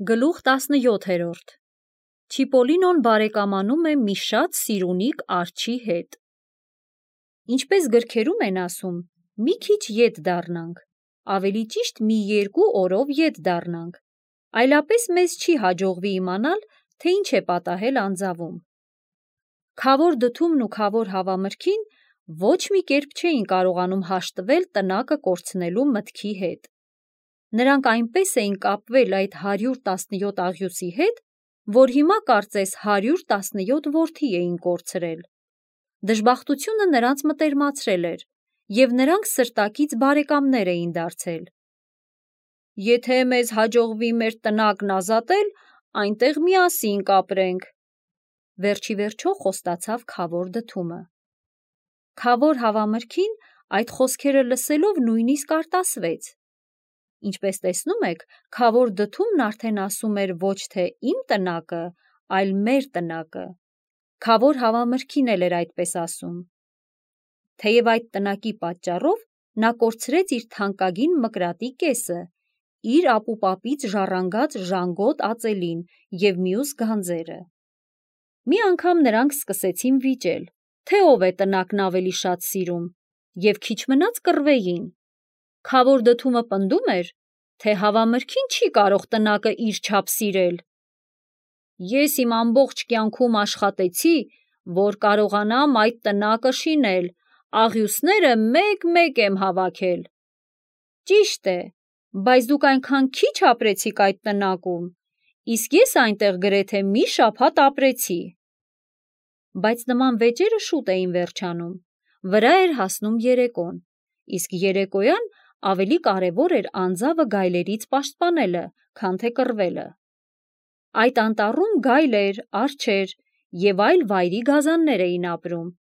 Գլուխ 17 Չիպոլինոն բարեկամանում է մի շատ սիրունիկ արջի հետ։ Ինչպես գրքերում են ասում, մի քիչ ետ դառնանք, ավելի ճիշտ մի 2 օրով ետ դառնանք, այլապես մեզ չի հաջողվի իմանալ, թե ինչ է պատահել անձավում։ Քավոր Դդումն ու Քավոր Հավամրգին ոչ մի կերպ չէին կարողանում հաշտվել տնակը կորցնելու մտքի հետ։ Նրանք այնպես էին կապվել այդ 117 աղյուսի հետ, որ հիմա կարծես 117 որդի էին կորցրել։ Դժբախտությունը նրանց մտերմացրել էր, և նրանք սրտակից բարեկամներ էին դարձել։ Եթե մեզ հաջողվի մեր տնակն ազատել, այնտեղ միասին կապրենք, վերջի վերջո խոստացավ Քավոր Դդումը։ Քավոր Հավամրգին այդ խոսքերը լսելով նույնիսկ արտասվեց։ Ինչպես տեսնում եք, Քավոր Դդումն արդեն ասում էր ոչ թե իմ տնակը, այլ մեր տնակը։ Քավոր Հավամրգին էլ էր այդպես ասում։ Թեև այդ տնակի պատճառով նա կորցրեց իր թանկագին մկրատի կեսը, իր ապուպապից ժառանգած ժանգոտ ածելին և մյուս գանձերը։ Մի անգամ նրանք սկսեցին վիճել, թե ով է տնակն ավելի շատ սիրում, և քիչ մնաց կռվեին։ Քավոր Դդումը պնդում էր, թե Հավամրգին չի կարող տնակը իր չափ սիրել։ Ես իմ ամբողջ կյանքում աշխատեցի, որ կարողանամ այդ տնակը շինել, աղյուսները մեկ-մեկ եմ հավաքել։ Ճիշտ է, բայց դուք այնքան քիչ ապրեցիք այդ տնակում, իսկ ես այնտեղ գրեթե մի շաբաթ ապրեցի։ Բայց նման վեճերը շուտ էին վերջանում, վրա էր հասնում երեկոն, իսկ երեկոյան ավելի կարևոր էր անձավը գայլերից պաշտպանելը, քան թե կռվելը։ Այդ անտառում գայլեր, արջեր և այլ վայրի գազաններ էին ապրում։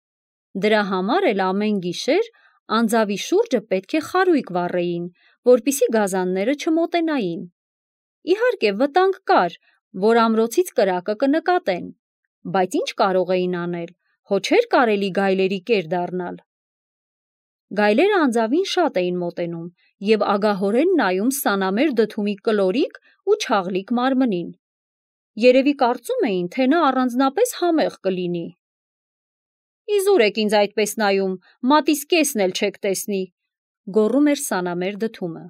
Դրա համար էլ ամեն գիշեր անձավի շուրջը պետք է խարույկ վառեին, որպեսզի գազանները չմոտենային։ Իհարկե վտանգ կար, որ ամրոցից կրակը կնկատեն, բայց ինչ կարող էին անել, հո չէր կարելի գայլերի կեր դառնալ։ Գայլերը անձավին շատ էին մոտենում և ագահորեն նայում սանամեր Դդումի կլորիկ ու չաղլիկ մարմնին։ Երևի կարծում էին, թե նա առանձնապես համեղ կլինի։ Իզուր եք ինձ այդպես նայում, մատիս կեսն էլ չեք տեսնի, գոռում էր սանամեր Դդումը։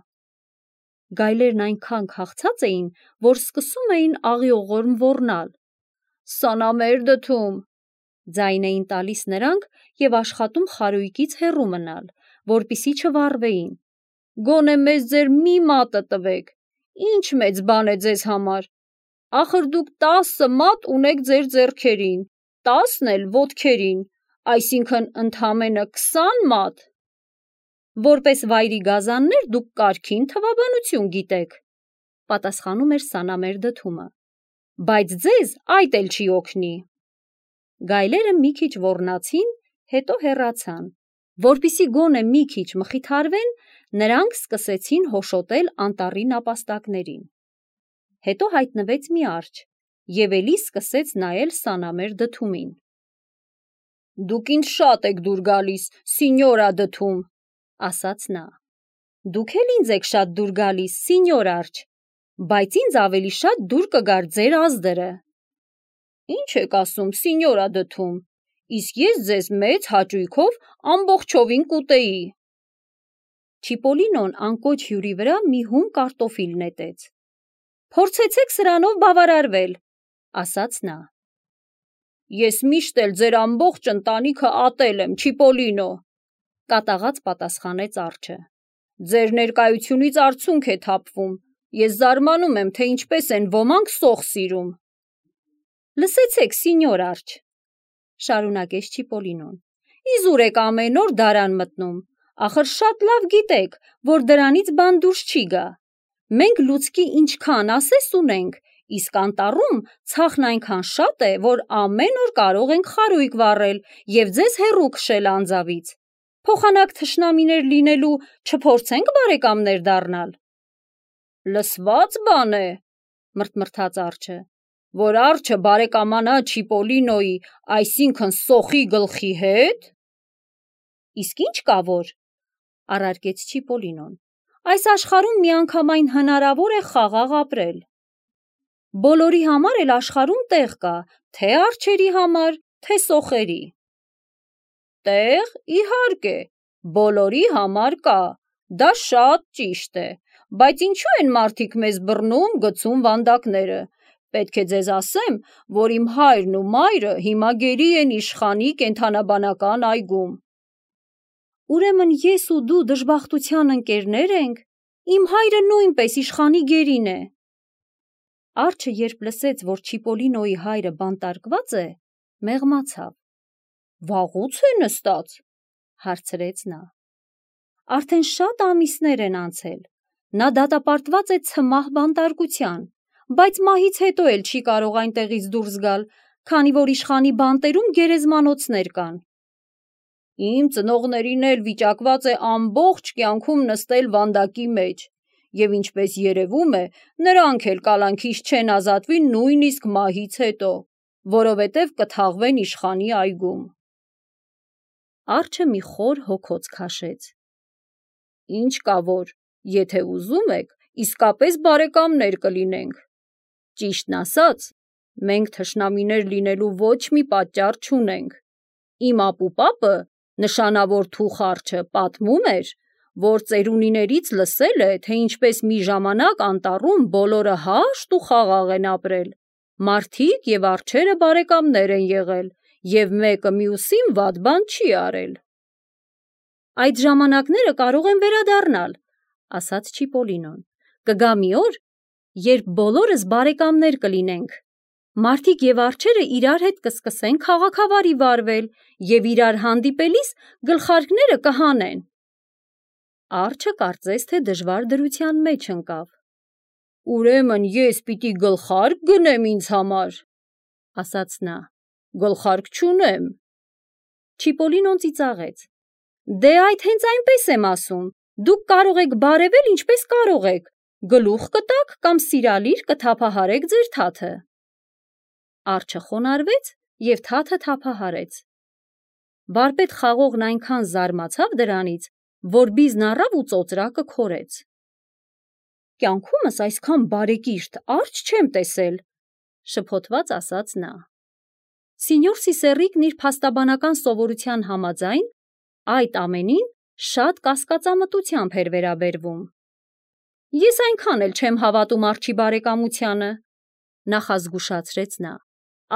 Գայլերն այնքան քաղցած էին, որ սկսում էին աղիողորմ ոռնալ։ Սանամեր Դդում, ձայն էին տալիս նրանք և աշխատում խարույկից հեռու մնալ, որպեսզի չվառվեին։ Գոնե մեզ ձեր մի մատը տվեք, ինչ մեծ բան է ձեզ համար, ախր դուք 10 մատ ունեք ձեր ձեռքերին, 10 էլ ոտքերին, այսինքն ընդամենը 20 մատ։ Որպես վայրի գազաններ դուք կարգին թվաբանություն գիտեք, պատասխանում էր սանամեր Դդումը, բայց ձեզ այդ էլ չի օգնի։ Գայլերը մի քիչ ոռնացին, հետո հեռացան։ Որպեսզի գոնե մի քիչ մխիթարվեն, նրանք սկսեցին հոշոտել անտառի նապաստակներին։ Հետո հայտնվեց մի արջը և էլի սկսեց նայել սանամեր Դդումին։ Դուք ինձ շատ եք դուր գալիս, սինյորա Դդում, ասաց նա։ Դուք էլ ինձ եք շատ դուր գալիս, սինյոր արջ, բայց ինձ ավելի շատ դուր կգար ձեր ազդրը։ Ինչ եք ասում, սինյորա Դդում, իսկ ես ձեզ մեծ հաճույքով ամբողջովին կուտեի։ Չիպոլինոն անկոչ հյուրի վրա մի հում կարտոֆիլ նետեց։ Փորձեցեք սրանով բավարարվել, ասաց նա։ Ես միշտ էլ ձեր ամբողջ ընտանիքը ատել եմ, Չիպոլինո, կատաղած պատասխանեց արջը։ Ձեր ներկայությունից արցունք է թափվում, ես զարմանում եմ, թե ինչպես են ոմանք սոխ սիրում։ Լսեցեք, սինյոր արջ, շարունակեց Չիպոլինոն, իզուր եք ամեն օր դարան մտնում, ախր շատ լավ գիտեք, որ դրանից բան դուրս չի գա։ Մենք լուցկի ինչքան ասես ունենք, իսկ անտառում ցախն այնքան շատ է, որ ամեն օր կարող ենք խարույկ վառել և ձեզ հեռու քշել անձավից։ Փոխանակ թշնամիներ լինելու չփորձենք բարեկամներ դառնալ։ Լսված բան է, մռթմռթաց արջը, որ արջը բարեկամանա Չիպոլինոյի, այսինքն սոխի գլխի հետ։ Իսկ ինչ կա որ, առարկեց Չիպոլինոն, այս աշխարհում միանգամայն հնարավոր է խաղաղ ապրել։ Բոլորի համար էլ աշխարհում տեղ կա, թե արջերի համար, թե սոխերի։ Տեղ, իհարկե, բոլորի համար կա, դա շատ ճիշտ է, բայց ինչու են մարդիկ մեզ բռնում, գցում վանդակները։ Պետք է ձեզ ասեմ, որ իմ հայրն ու մայրը հիմա գերի են իշխանի կենդանաբանական այգում։ Ուրեմն ես ու դու դժբախտության ընկերներ ենք, իմ հայրը նույնպես իշխանի գերին է։ Արջը երբ լսեց, որ Չիպոլինոյի հայրը բանտարկված է, մեղմացավ։ Վաղուց է նստած, հարցրեց նա։ Արդեն շատ ամիսներ են անցել, նա դատապարտված է ցմահ բանտարկության, բայց մահից հետո էլ չի կարող այնտեղից դուրս գալ, քանի որ իշխանի բանտերում գերեզմանոցներ կան։ Իմ ծնողներին էլ վիճակված է ամբողջ կյանքում նստել վանդակի մեջ, և ինչպես երևում է, նրանք էլ կալանքից չեն ազատվի նույնիսկ մահից հետո, որովհետև կթաղվեն իշխանի այգում։ Արջը մի խոր հոգոց քաշեց։ Ինչ կա որ, եթե ուզում եք, իսկապես բարեկամներ կլինենք։ Ճիշտն ասած, մենք թշնամիներ լինելու ոչ մի պատճառ չունենք։ Իմ ապուպապը, նշանավոր թուխ արջը, պատմում էր, որ ծերունիներից լսել է, թե ինչպես մի ժամանակ անտառում բոլորը հաշտ ու խաղաղ են ապրել, մարդիկ և արջերը բարեկամներ են եղել, և մեկը մյուսին վատ բան չի արել։ Այդ ժամանակները կարող են վերադառնալ, ասաց Չիպոլինոն։ Կգա մի օր, երբ բոլորս բարեկամներ կլինենք։ Մարդիկ և արջերը իրար հետ կսկսեն քաղաքավարի վարվել և իրար հանդիպելիս գլխարկները կհանեն։ Արջը կարծես թե դժվար դրության մեջ ընկավ։ Ուրեմն ես պիտի գլխարկ գնեմ ինձ համար, ասաց նա։ Գլխարկ չունեմ։ Չիպոլինոն ծիծաղեց։ Դե այդ հենց այնպես եմ ասում, դուք կարող եք բարևել ինչպես կարող եք, գլուխ կտաք կամ սիրալիր կթափահարեք ձեր թաթը։ Արջը խոնարհվեց և թաթը թափահարեց։ Վարպետ խաղողն այնքան զարմացավ դրանից, որ բիզն առավ ու ծոծրակը քորեց։ Կյանքումս այսքան բարեկիրթ արջ չեմ տեսել, շփոթված ասաց նա։ Սինյոր Սիսեռիկն իր փաստաբանական սովորության համաձայն այդ ամենին շատ կասկածամտությամբ էր վերաբերվում։ Ես այնքան էլ չեմ հավատում արջի բարեկամությանը, նախազգուշացրեց նա։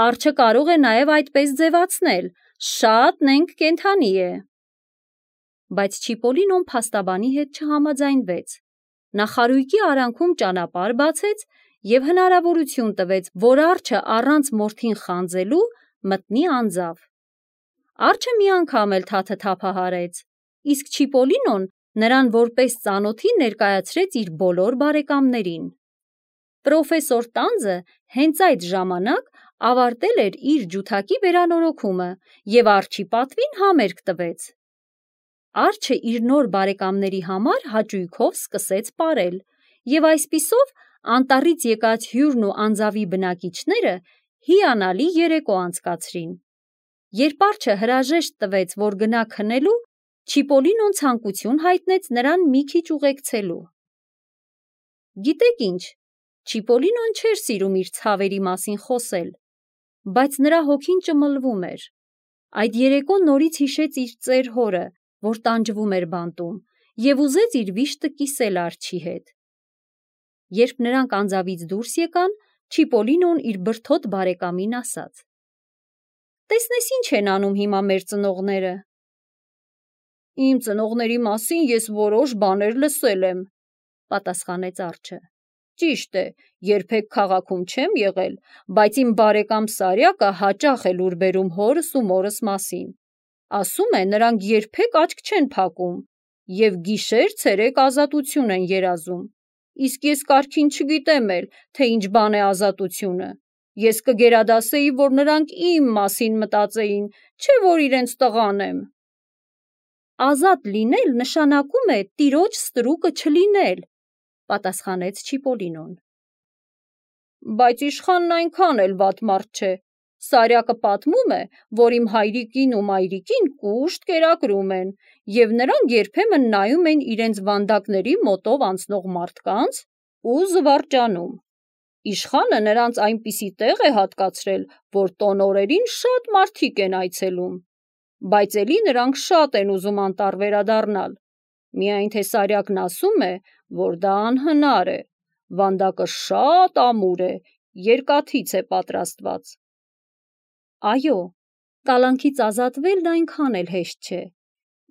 Արջը կարող է նաև այդպես ձևացնել, շատ նենգ կենդանի է։ Բայց Չիպոլինոն փաստաբանի հետ չհամաձայնվեց։ Նա խարույկի արանքում ճանապարհ բացեց և հնարավորություն տվեց, որ արջը առանց մորթին խանձելու մտնի անձավ։ Արջը մի անգամ էլ թաթը թափահարեց, իսկ Չիպոլինոն նրան որպես ծանոթի ներկայացրեց իր բոլոր բարեկամներին։ Պրոֆեսոր Տանձը հենց այդ ժամանակ ավարտել էր իր ջութակի վերանորոգումը և արջի պատվին համերգ տվեց։ Արջը իր նոր բարեկամների համար հաճույքով սկսեց պարել, և այսպիսով անտառից եկած հյուրն ու անձավի բնակիչները հիանալի երեկո անցկացրին։ Երբ արջը հրաժեշտ տվեց, որ գնա քնելու, Չիպոլինոն ցանկություն հայտնեց նրան մի քիչ ուղեկցելու։ Գիտեք ինչ, Չիպոլինոն չէր սիրում իր ցավերի մասին խոսել, բայց նրա հոգին ճմլվում էր։ Այդ երեկո նորից հիշեց իր ծեր հորը, որ տանջվում էր բանտում, և ուզեց իր վիշտը կիսել արջի հետ։ Երբ նրանք անձավից դուրս եկան, Չիպոլինոն իր բրդոտ բարեկամին ասաց. Տեսնես ինչ են անում հիմա մեր ծնողները։ Իմ ծնողների մասին ես որոշ բաներ լսել եմ, պատասխանեց արջը։ Ճիշտ է, երբեք քաղաքում չեմ եղել, բայց իմ բարեկամ Սարյակը հաճախ է լուր բերում հորս ու մորս մասին։ Ասում է, նրանք երբեք աչք չեն փակում և գիշեր-ցերեկ ազատություն են երազում։ Իսկ ես կարգին չգիտեմ էլ, թե ինչ բան է ազատությունը։ Ես կգերադասեի, որ նրանք իմ մասին մտածեին, չէ որ իրենց տղան եմ։ Ազատ լինել նշանակում է տիրոջ ստրուկը չլինել, պատասխանեց Չիպոլինոն։ Բայց իշխանն այնքան էլ վատ մարդ չէ։ Սարյակը պատմում է, որ իմ հայրիկին ու մայրիկին կուշտ կերակրում են, և նրանք երբեմն նայում են իրենց վանդակների մոտով անցնող մարդկանց ու զվարճանում։ Իշխանը նրանց այնպիսի տեղ է հատկացրել, որ տոնօրերին շատ մարդիկ են այցելում, բայց էլի նրանք շատ են ուզում անտառ վերադառնալ, միայն թե Սարյակն ասում է, որ դա անհնար է, վանդակը շատ ամուր է, երկաթից է պատրաստված։ Այո, կալանքից ազատվելն այնքան էլ հեշտ չէ,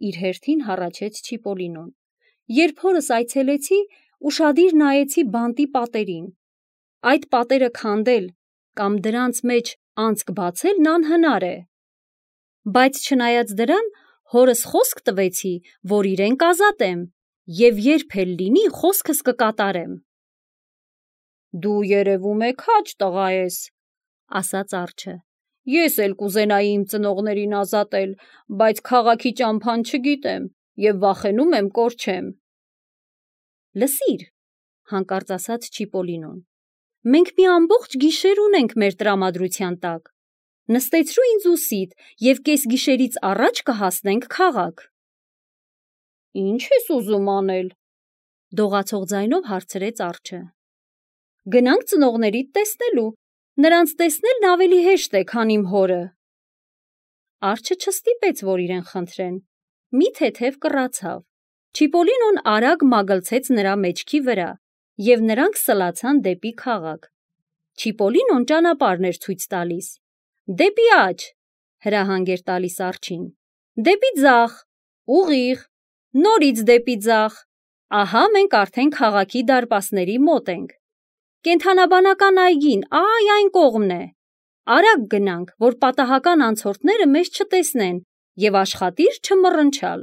իր հերթին հառաչեց Չիպոլինոն։ Երբ հորս այցելեցի, ուշադիր նայեցի բանտի պատերին։ Այդ պատերը քանդել կամ դրանց մեջ անցք բացելն անհնար է։ Բայց չնայած դրան, հորս խոսք տվեցի, որ իրեն կազատեմ, և երբ էլ լինի, խոսքս կկատարեմ։ Դու երևում է քաջ տղա ես, ասաց արջը։ Ես էլ կուզենայի իմ ծնողներին ազատել, բայց քաղաքի ճամփան չգիտեմ և վախենում եմ կորչեմ։ Լսիր, հանկարծ ասաց Չիպոլինոն, մենք մի ամբողջ գիշեր ունենք մեր տրամադրության տակ։ Նստեցրու ինձ ուսիդ և կեսգիշերից առաջ կհասնենք քաղաք։ Ինչ ես ուզում անել, դողացող ձայնով հարցրեց արջը։ Գնանք ծնողներիդ տեսնելու, նրանց տեսնելն ավելի հեշտ է, քան իմ հորը։ Արջը չստիպեց, որ իրեն խնդրեն, մի թեթև կռացավ։ Չիպոլինոն արագ մագլցեց նրա մեջքի վրա, և նրանք սլացան դեպի քաղաք։ Չիպոլինոն ճանապարհն էր ցույց տալիս։ Դեպի աջ, հրահանգ էր տալիս արջին, դեպի ձախ, ուղիղ, նորից դեպի ձախ, ահա մենք արդեն քաղաքի դարպասների մոտ ենք։ Կենդանաբանական այգին այն կողմն է։ Արագ գնանք, որ պատահական անցորդները մեզ չտեսնեն, և աշխատիր չմռնչալ։